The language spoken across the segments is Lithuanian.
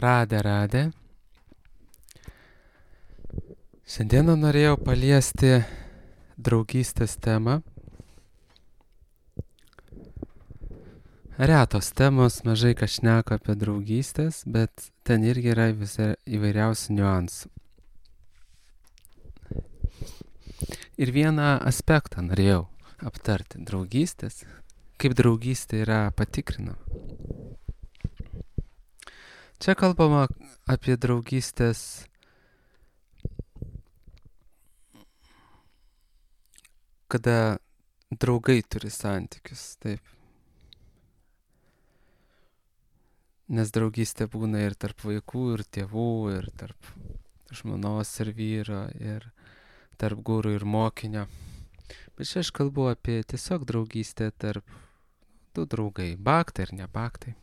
Radė. Šiandieną norėjau paliesti draugystės temą. Retos temos, mažai kas šneka apie draugystės, bet ten irgi yra įvairiausių niuansų. Ir vieną aspektą norėjau aptarti draugystės, kaip draugystė yra patikrinama. Čia kalbama apie draugystės kada draugai turi santykius, taip. Nes draugystė būna ir tarp vaikų, ir tėvų, ir tarp žmonos ir vyro, ir tarp guru ir mokinio. Bet čia aš kalbu apie tiesiog draugystę tarp du draugai, baktai ir nebaktai.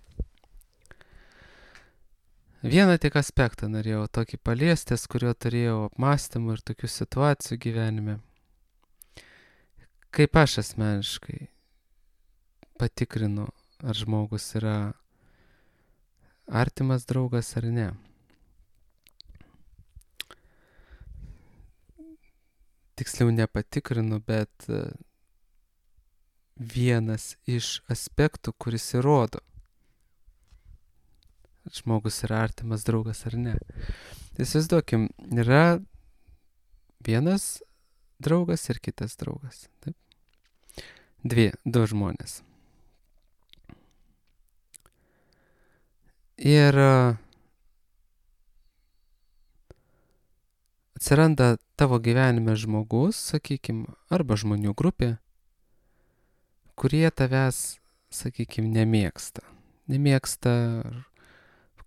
Vieną tik aspektą norėjau tokį paliestis, kurio turėjau apmąstymų ir tokių situacijų gyvenime. Kaip aš asmeniškai patikrinu, ar žmogus yra artimas draugas ar ne. Tiksliau nepatikrinu, bet vienas iš aspektų, kuris įrodo, ar žmogus yra artimas draugas ar ne. Įsivaizduokim, yra vienas draugas ir kitas draugas. Taip? Du žmonės. Ir atsiranda tavo gyvenime žmogus, sakykime, arba žmonių grupė, kurie tavęs, sakykime, nemėgsta. Nemėgsta, ar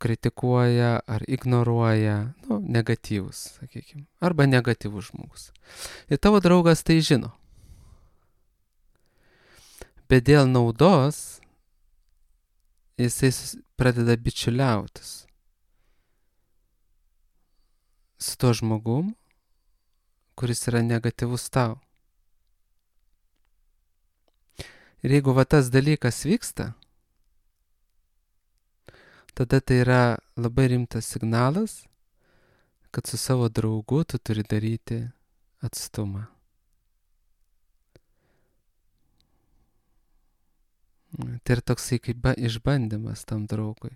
kritikuoja, ar ignoruoja, negatyvus, sakykime, arba negatyvus žmogus. Ir tavo draugas tai žino. Bet dėl naudos jisai pradeda bičiuliautis su tuo žmogum, kuris yra negatyvus tau. Ir jeigu tas dalykas vyksta, tada tai yra labai rimtas signalas, kad su savo draugu tu turi daryti atstumą. Tai yra toksai kaip išbandymas tam draugui.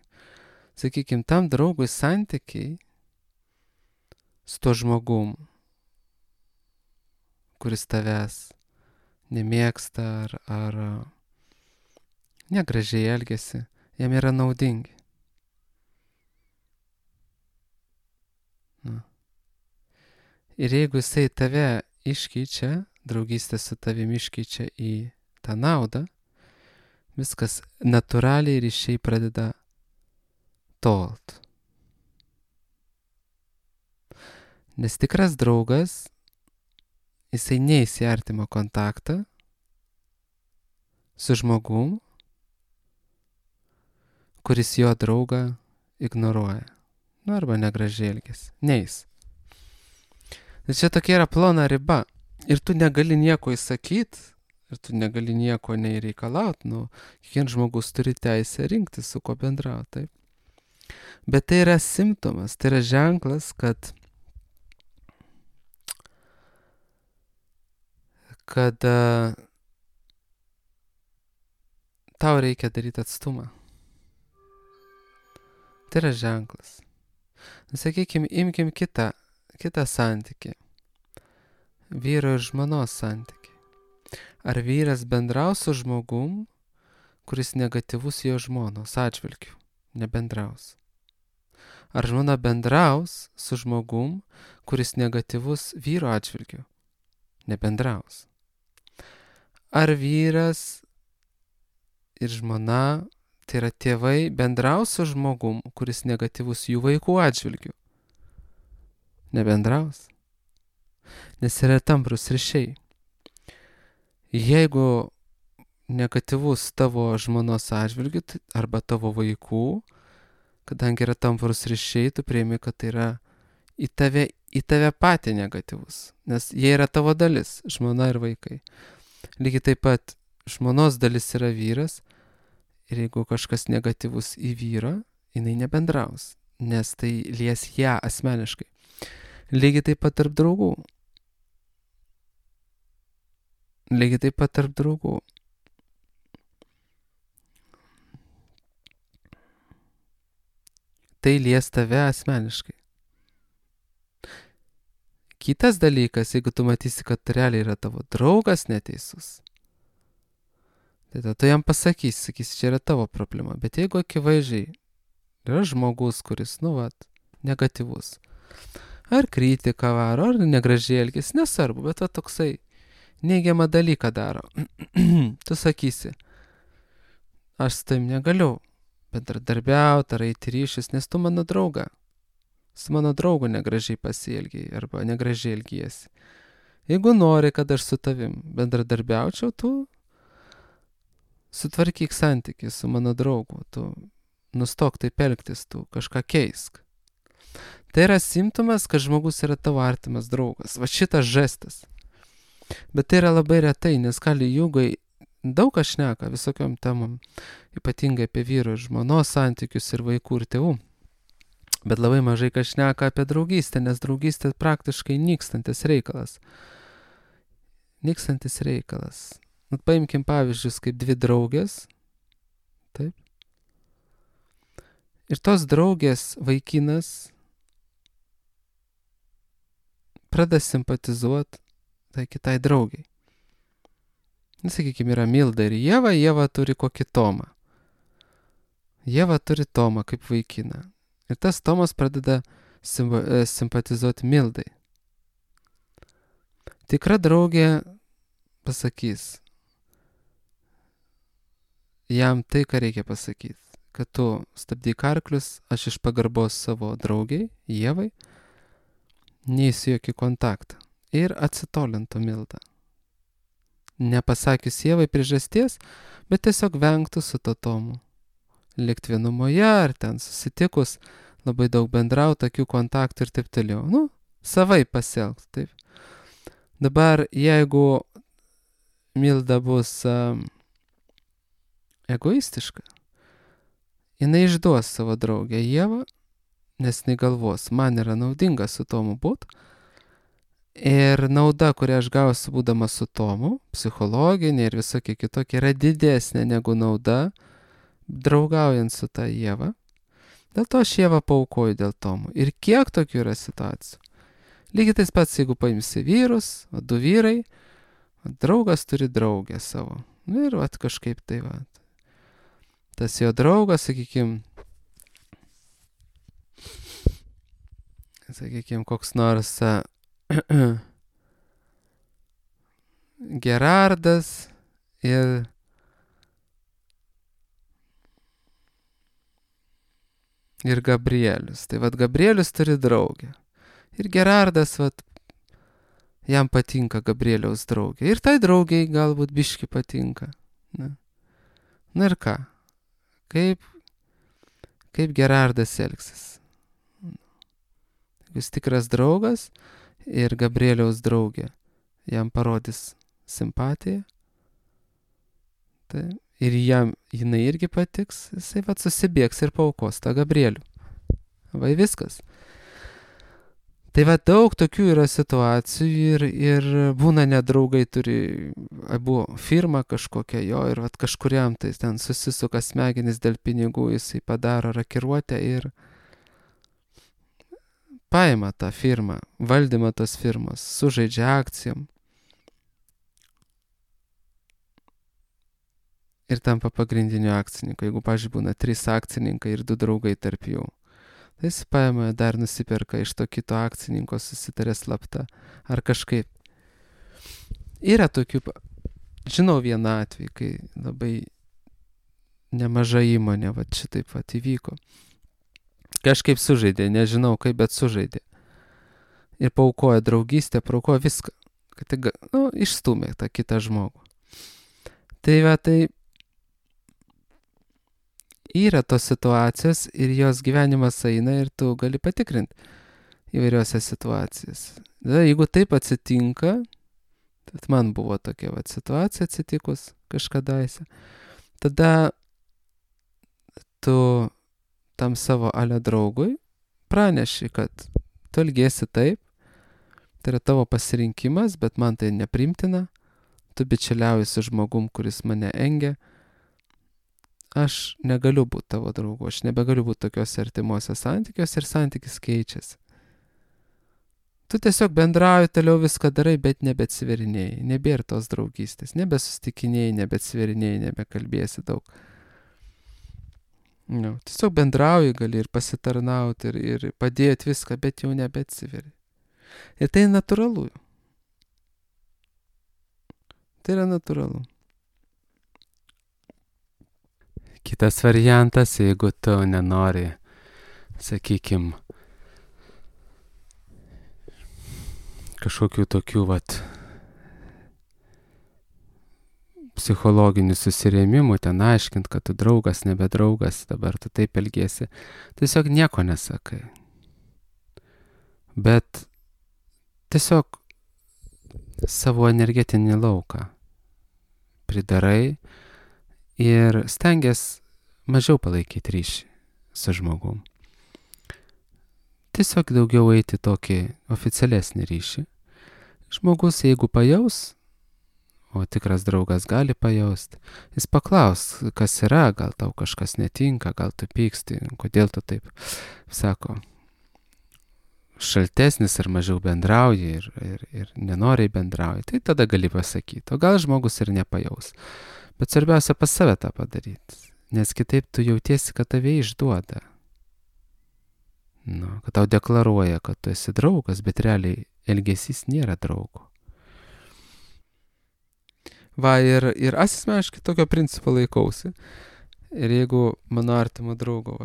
Sakykime, tam draugui santykiai su tuo žmogum, kuris tavęs nemėgsta ar negražiai elgiasi, jam yra naudingi. Ir jeigu jisai tave iškeičia, draugystė su tavimi iškeičia į tą naudą, viskas natūraliai ryšiai pradeda tolt. Nes tikras draugas, jisai neis į artimą kontaktą su žmogum, kuris jo draugą ignoruoja. Arba negražiai elgiasi. Neis. Ir čia tokia yra plona riba. Ir tu negali nieko įsakyti, ir tu negali nieko nereikalauti. Kiekvienas žmogus turi teisę rinktis, su kuo bendrauti. Taip. Bet tai yra simptomas, tai yra ženklas, kad tau reikia daryti atstumą. Tai yra ženklas. Sakykime, imkim kitą santykį. Vyro ir žmonos santykį. Ar vyras bendraus su žmogum, kuris negatyvus jo žmonos atžvilgiu? Nebendraus. Ar žmona bendraus su žmogum, kuris negatyvus vyro atžvilgiu? Nebendraus. Ar vyras ir žmona, tai yra tėvai, bendraus su žmogum, kuris negatyvus jų vaikų atžvilgiu? Nebendraus. Nes yra tamprus ryšiai. Jeigu negatyvus tavo žmonos atžvilgiu arba tavo vaikų, kadangi yra tamprus ryšiai, tu priimi, kad tai yra į tave patį negatyvus. Nes jie yra tavo dalis, žmona ir vaikai. Lygiai taip pat žmonos dalis yra vyras, ir jeigu kažkas negatyvus į vyrą, jinai nebendraus. nes tai lies ją asmeniškai. Lygiai taip pat tarp draugų. Lygiai taip pat tarp draugų. Tai lies tave asmeniškai. Kitas dalykas, jeigu tu matysi, kad realiai yra tavo draugas neteisus, tai tada tu jam pasakysi, čia yra tavo problema. Bet jeigu akivaizdžiai yra žmogus, kuris, negatyvus, ar kritiką varo, ar negražiai elgesi, nesvarbu, bet toksai neigiamą dalyką daro, tu sakysi, aš su tavim negaliu bendradarbiauti ar eiti ryšius, nes tu mano drauga. Su mano draugu negražiai pasielgiai arba negražiai elgiesi. Jeigu nori, kad aš su tavim bendradarbiaučiau, tu sutvarkyk santykį su mano draugu, tu nustok taip elgtis, tu kažką keisk. Tai yra simptomas, kad žmogus yra tavo artimas draugas. Va šitas žestas. Bet tai yra labai retai, nes kali jugai daug kas šneka visokiom temom, ypatingai apie vyro ir žmonos santykius ir vaikų ir tėvų. Bet labai mažai kas šneka apie draugystę, nes draugystė praktiškai nykstantis reikalas. Nykstantis reikalas. Paimkim pavyzdžius kaip dvi draugės. Taip. Ir tos draugės vaikinas pradeda simpatizuoti tai kitai draugiai. Sakykime, yra Milda ir Ieva, Ieva turi kokį Tomą. Ieva turi Tomą kaip vaikiną. Ir tas Tomas pradeda simpatizuoti Mildai. Tikra draugė pasakys jam tai, ką reikia pasakyti. Kad tu stabdyk arklius, aš iš pagarbos savo draugiai, Ievai, neįsiu jokį kontaktą. Ir atsitolintų Mildą. Nepasakius Ievai priežasties, bet tiesiog vengtų su to Tomu. Likt vienumoje, ar ten susitikus, labai daug bendrauti, akių kontaktų ir taip toliau. Savai pasielgti, taip. Dabar, jeigu Milda bus egoistiška, jinai išduos savo draugę Ievą, nes jinai galvos, man yra naudinga su Tomu būt. Ir nauda, kurią aš gausiu būdama su Tomu, psichologinė ir visokie kitokie, yra didesnė negu nauda, draugaujant su ta Ieva. Dėl to aš Ievą paaukoju dėl Tomo. Ir kiek tokių yra situacijų. Lygiai tais pats, jeigu paimsi vyrus, du vyrai, draugas turi draugę savo. Ir kažkaip tai tas jo draugas, sakykime, koks nors Gerardas ir Gabrielius. Tai Gabrielius turi draugę. Ir Gerardas, jam patinka Gabrieliaus draugė. Ir tai draugiai galbūt biški patinka. Na ir ką? Kaip Gerardas elgsis? Jis tikras draugas ir Gabrieliaus draugė jam parodys simpatiją. Tai ir jinai irgi patiks, jisai susibėgs ir paaukos tą Gabrielių. Viskas. Tai daug tokių yra situacijų ir būna nedraugai turi abu firmą kažkokią jo ir kažkuriam tai ten susisuka smegenis dėl pinigų, jisai padaro rakiruotę ir paima tą firmą, valdymą tos firmos, sužaidžia akcijom. Ir tampa pagrindiniu akcininku. Jeigu, pavyzdžiui, būna 3 akcininkai ir 2 draugai tarp jų, tai jis paima dar nusiperka iš to kito akcininko, susitarė slapta ar kažkaip. Yra tokių, žinau vieną atvejį, kai labai nemaža įmonė šitaip įvyko. Kažkaip sužaidė, nežinau kaip, bet sužaidė. Ir paaukoja draugystę, paaukoja viską, kad išstumė tą kitą žmogų. Tai yra tos situacijos ir jos gyvenimas eina ir tu gali patikrinti įvairiose situacijose. Jeigu taip atsitinka, tai man buvo tokia situacija atsitikus kažkadaise, tada tu tam savo ale draugui praneši, kad tu elgiesi taip, tai yra tavo pasirinkimas, bet man tai nepriimtina, tu bičiuliauji su žmogum, kuris mane engia, aš negaliu būti tavo draugu, aš nebegaliu būti tokiuose artimuose santykiuose ir santykis keičiasi. Tu tiesiog bendrauji, toliau viską darai, bet nebeatsiverinėjai, nebėra tos draugystės, nebesustikinėjai, nebeatsiverinėjai, nebekalbėsi daug. No, tiesiog bendrauji, gali ir pasitarnauti, ir padėti viską, bet jau nebeatsiveri. Ir tai natūralu. Tai yra natūralu. Kitas variantas, jeigu tu nenori, sakykim, kažkokių tokių psichologinių susirėmimų, ten aiškint, kad tu draugas, nebedraugas, dabar tu taip elgiesi, tiesiog nieko nesakai. Bet tiesiog savo energetinį lauką pridarai ir stengiasi mažiau palaikyti ryšį su žmogum. Tiesiog daugiau eiti tokį oficialesnį ryšį. Žmogus, jeigu pajaus, o tikras draugas gali pajausti, jis paklaus, kas yra, gal tau kažkas netinka, gal tu pyksti, kodėl tu taip, sako, šaltesnis ar mažiau bendrauji ir nenoriai bendrauji, tai tada gali pasakyti, o gal žmogus ir nepajaus. Bet svarbiausia pas save tą padaryti, nes kitaip tu jautiesi, kad tave išduoda. Nu, kad tau deklaruoja, kad tu esi draugas, bet realiai elgesys nėra draugo. Va, ir asmeniškai tokio principo laikausi. Ir jeigu mano artimo draugo,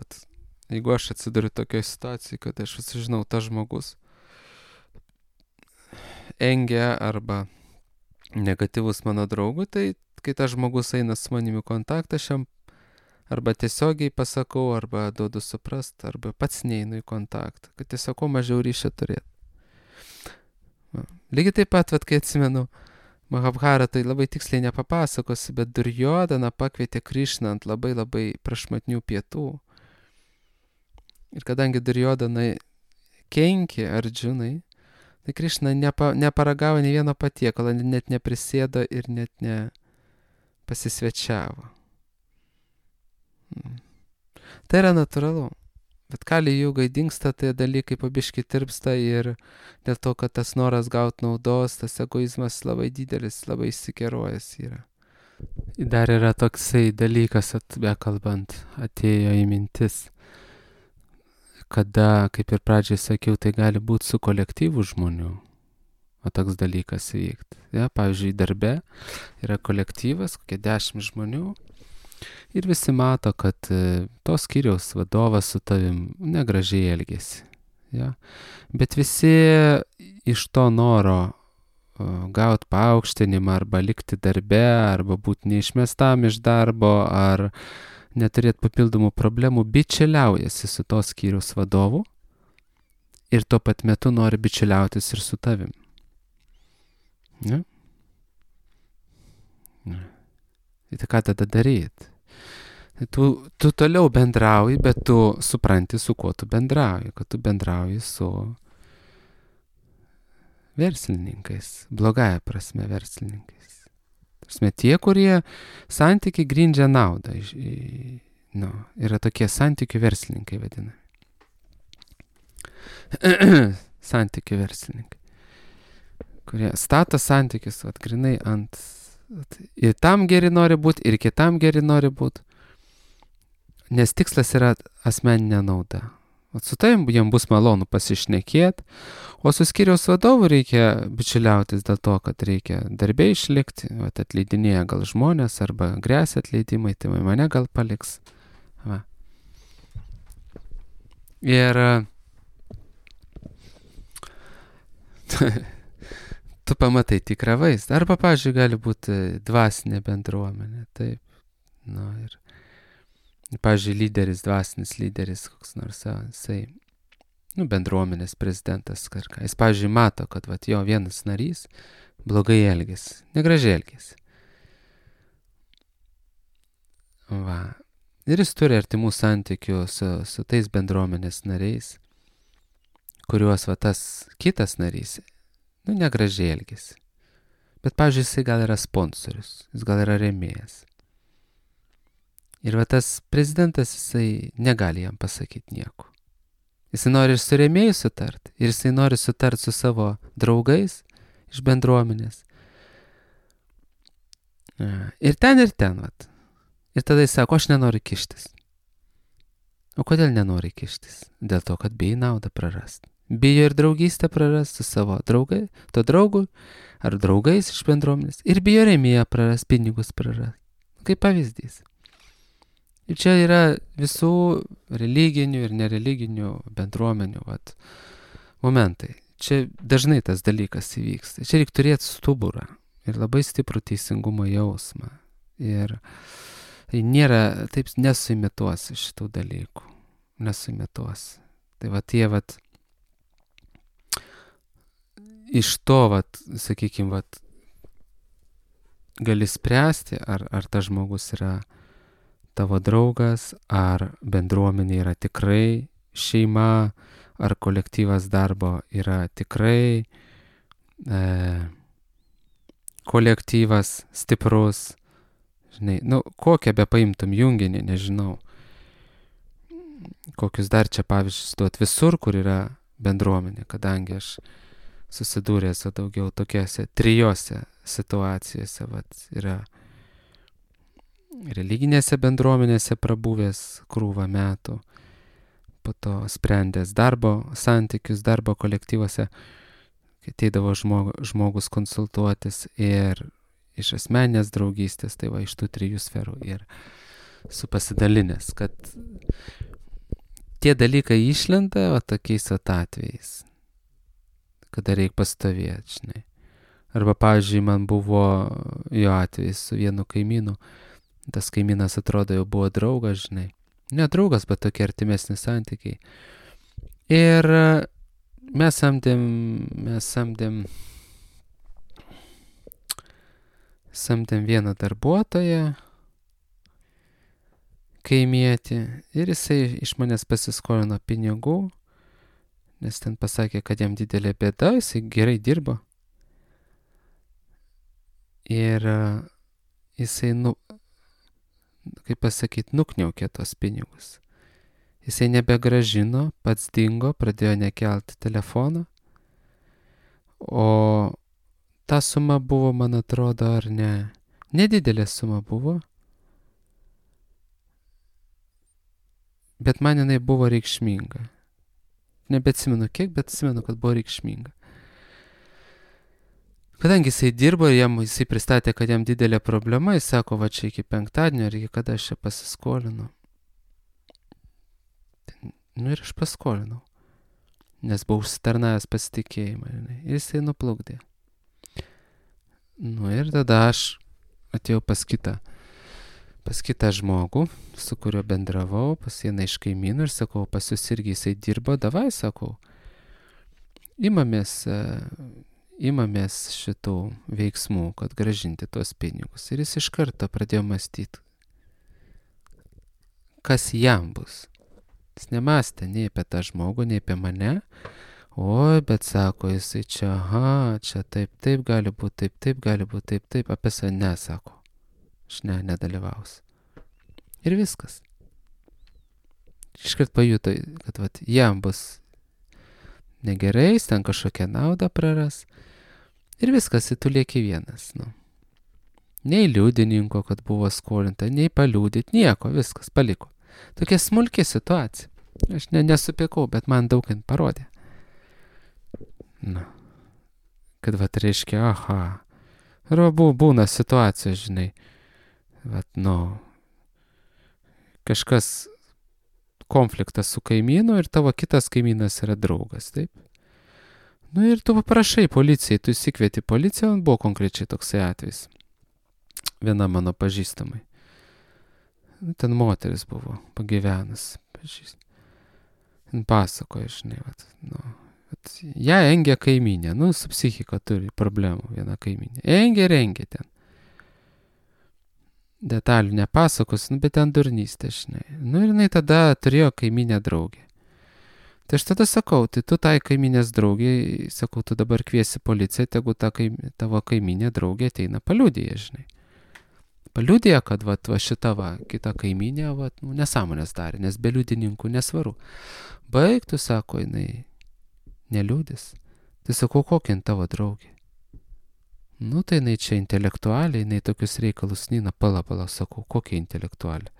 jeigu aš atsiduriu tokioje situacijoje, kad aš žinau, tas žmogus engia arba negatyvus mano draugui, tai kai tas žmogus eina su manimi kontaktą, aš jam arba tiesiogiai pasakau, arba duodu suprast, arba pats neinu į kontaktą, kad tiesiog kuo mažiau ryšio turėti. Lygiai taip pat, kai atsimenu, Mahabharatai labai tiksliai nepapasakosi, bet Durjodaną pakvietė Krišną ant labai labai prašmatnių pietų. Ir kadangi Durjodanai kenkė Ardžunai, tai Krišna neparagavo nei vieno patiekalo, net neprisėdo ir net nepasisvečiavo. Tai yra natūralu. Bet Kali Jugai dingsta, tai dalykai pabiški tirpsta ir dėl to, kad tas noras gauti naudos, tas egoizmas labai didelis, labai įsikerojęs yra. Dar yra toksai dalykas, bekalbant, atėjo į mintis, kada, kaip ir pradžiai sakiau, tai gali būti su kolektyvu žmonių, o toks dalykas vykti. Ja, pavyzdžiui, darbe yra kolektyvas, kokie 10 žmonių, ir visi mato, kad tos skyriaus vadovas su tavim negražiai elgėsi. Ja? Bet visi iš to noro gauti paaukštinimą arba likti darbe, arba būti neišmestam iš darbo, ar neturėti papildomų problemų, bičiuliaujasi su to skyriaus vadovu ir tuo pat metu nori bičiuliautis ir su tavim. Ja? Ja. Tai ką tada daryti? Tu toliau bendrauji, bet tu supranti, su kuo tu bendrauji, kad tu bendrauji su verslininkais, blogąja prasme verslininkais. Prasme, tie, kurie santykiai grindžia naudą, yra tokie santykių verslininkai vadinami. Santykių verslininkai, kurie stato santykius, grinai ant... Ir tam geri nori būti, ir kitam geri nori būti. Nes tikslas yra asmeninė nauda. Su tavim jam bus malonu pasišnekėti, o su skyriaus vadovu reikia bičiuliautis dėl to, kad reikia darbė išlikti, atleidinėja gal žmonės, arba gresia atleidimai, tai mane gal paliks. Va. Ir tu pamatai tikrą vaizdą. Arba, pavyzdžiui, gali būti dvasinė bendruomenė. Taip. Ir, pavyzdžiui, lyderis, dvasinis lyderis, koks nors, jisai, bendruomenės prezidentas, kažką. Jis, pavyzdžiui, mato, kad jo vienas narys blogai elgėsi, negražiai elgėsi. Va. Ir jis turi artimų santykių su tais bendruomenės nariais. kuriuos va tas kitas narys, negražiai elgesi. Bet, pavyzdžiui, jisai gal yra sponsorius, jis gal yra rėmėjas. Ir va tas prezidentas, jisai negali jam pasakyti nieko. Jisai nori ir su rėmėjai sutart, ir jisai nori sutart su savo draugais iš bendruomenės. Ir ten, vat. Ir tada jis sako, aš nenoriu kištis. O kodėl nenori kištis? Dėl to, kad bijai naudą prarast. Bijo ir draugystę prarast su savo draugai, to draugui, ar draugais iš bendruomenės. Ir bijo rėmėją prarast, pinigus prarast. Kaip pavyzdys. Ir čia yra visų religinių ir nereliginių bendruomenių momentai. Čia dažnai tas dalykas įvyksta. Čia reikia turėti stuburą ir labai stiprų teisingumo jausmą. Ir tai nėra, taip nesuimituosi šitų dalykų. Nesuimituosi. Tai tie iš to, sakykime, gali spręsti, ar tas žmogus yra tavo draugas, ar bendruomenė yra tikrai šeima, ar kolektyvas darbo yra tikrai kolektyvas stiprus. Žinai, kokią be paimtum junginį, nežinau. Kokius dar čia pavyzdžius duot visur, kur yra bendruomenė, kadangi aš susidūręs daugiau tokiose trijose situacijose, yra religinėse bendruomenėse prabuvęs krūvą metų, po to sprendęs darbo santykius, darbo kolektyvuose, kai ateidavo žmogus konsultuotis ir iš asmeninės draugystės, tai iš tų trijų sferų ir su pasidalinęs, kad tie dalykai išlenda tokiais atvejais, kada reikia pastovėti, žinai. Arba, pavyzdžiui, man buvo jo atvejis su vienu kaimynu, tas kaimynas atrodo jau buvo draugas, žinai. Ne draugas, bet tokie artimesni santykiai. Ir mes samdėm vieną darbuotoją, kaimietį, ir jisai iš manęs pasiskolino pinigų, nes ten pasakė, kad jam didelė bėda, jisai gerai dirbo. Ir jisai, kaip pasakyti, nukniaukė tos pinigus. Jisai nebegražino, pats dingo, pradėjo nekelti telefoną, o ta suma buvo, man atrodo, ar ne, nedidelė suma buvo, bet man jinai buvo reikšminga. Nebeatsimenu kiek, bet atsimenu, kad buvo reikšminga. Kadangi jisai dirbo ir jisai pristatė, kad jam didelė problema, jis sako, čia iki penktadienio, ir iki kada aš čia pasiskolinu. Ir aš paskolinau, nes buvau užsitarnavęs pasitikėjimą. Ir jisai nuplukdė. Ir tada aš atėjau pas kitą žmogų, su kuriuo bendravau, pas vieną iš kaimynų ir sakau, pas jūs irgi jisai dirbo, davai, sakau, imamės šitų veiksmų, kad gražinti tuos pinigus. Ir jis iš karto pradėjo mąstyti, kas jam bus. Jis nemąstė nei apie tą žmogų, nei apie mane. Bet sako, jisai čia, čia taip gali būti, taip gali būti, taip, apie save nesako. Aš nedalyvausiu. Ir viskas. Iškart pajuto, kad jam bus negerai, jis ten kažkokią naudą praras. Ir viskas, tu lieki vienas. Nei liudininko, kad buvo skolinta, nei paliūdyti, nieko, viskas paliko. Tokia smulki situacija. Aš nesupykau, bet man daug parodė. Kad reiškia, arba būna situacija, žinai, kažkas konfliktas su kaimynu ir tavo kitas kaimynas yra draugas, taip? Ir tu paprašai policijai, tu įsikvieti policiją, buvo konkrečiai toksai atvejis. Viena mano pažįstamai. Ten moteris buvo pagyvenus, pažįstamai. Pasakoja, žinai, ją engia kaimynė, su psichika turi problemų viena kaimynė. Engia ten. Detalių nepasakos, bet ten durnystė, žinai. Ir jinai tada turėjo kaimynę draugę. Tai aš tada sakau, tai tu tai kaiminės draugiai, sakau, tu dabar kviesi policiją, tegu tavo kaiminė draugė ateina paliudija, žinai. Paliudija, kad va šita kita kaiminė, nesąmonės darė, nes be liudininkų nesvaru. Baigtų, sako, jinai neliūdis. Tai sakau, kokia tavo draugė? Nu, tai jinai čia intelektualiai, jinai tokius reikalus Nina, pala, sakau, kokia intelektualiai?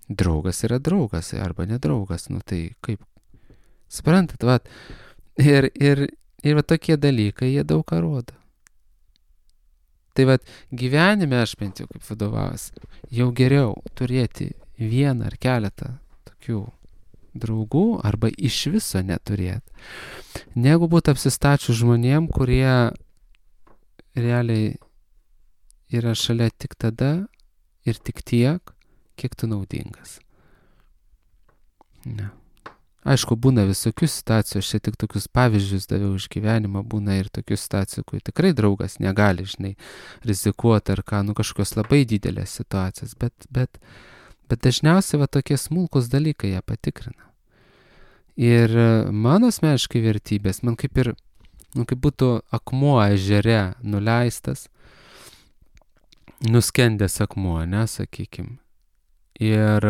Draugas yra draugas, arba nedraugas, nu tai kaip? Suprantat, va. Ir va tokie dalykai, jie daug ką rodo. Tai va, gyvenime aš bent jau kaip vadovas, jau geriau turėti vieną ar keletą tokių draugų, arba iš viso neturėti, negu būti apsistačius žmonėm, kurie realiai yra šalia tik tada ir tik tiek, kiek tu naudingas. Ne. Aišku, būna visokių situacijų, aš čia tik tokius pavyzdžius daviau iš gyvenimo, būna ir tokių situacijų, kur tikrai draugas negali, žinai, rizikuoti ar ką, kažkokios labai didelės situacijos, bet dažniausiai va tokie smulkus dalykai ją patikrina. Ir mano asmeniškai vertybės, man kaip ir, kaip būtų akmuo ežere nuleistas, nuskendęs akmuo, sakykim. Ir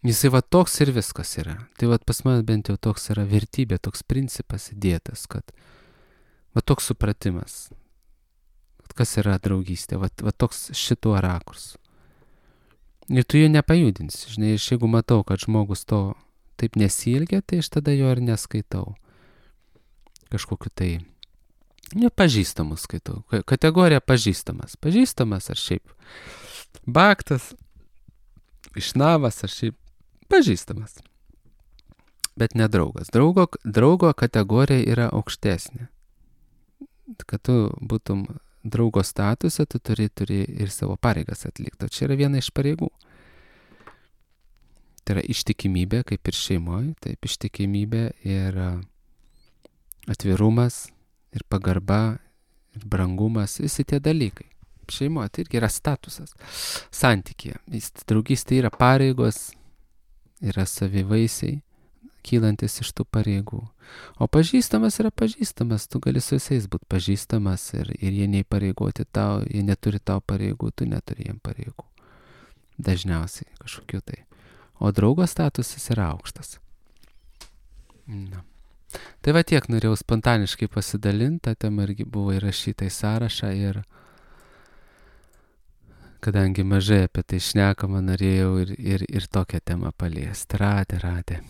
jisai va toks ir viskas yra. Tai va pas mane bent jau toks yra vertybė, toks principas įdėtas, kad va toks supratimas, kas yra draugystė, va toks šituo rakursu. Ir tu jų nepajudinsi, žinai, jeigu matau, kad žmogus to taip nesielgia, tai aš tada jo ir neskaitau. Kažkokiu tai, pažįstamus skaitau. Kategorija pažįstamas. Pažįstamas ar šiaip baktas, išnavas ar šiaip pažįstamas. Bet ne draugas. Draugo kategorija yra aukštesnė. Kad tu būtum draugo statuse, tu turi ir savo pareigas atlikti. O čia yra viena iš pareigų. Tai yra ištikimybė, kaip ir šeimoje, taip ištikimybė ir atvirumas, ir pagarba, ir brangumas, visi tie dalykai. Šeimoje tai irgi yra statusas, santykėje. Draugystė yra pareigos, yra savivaisiai, kylantis iš tų pareigų. O pažįstamas yra pažįstamas, tu gali su visais būti pažįstamas ir jie neįpareigoti tau, jie neturi tau pareigų, tu neturi jiem pareigų. Dažniausiai kažkokiu tai. O draugo statusas yra aukštas. Na. Tai va tiek norėjau spontaniškai pasidalinti, ta tema irgi buvo įrašyta į sąrašą ir kadangi mažai apie tai šnekama, norėjau ir tokią temą paliesti. Radė.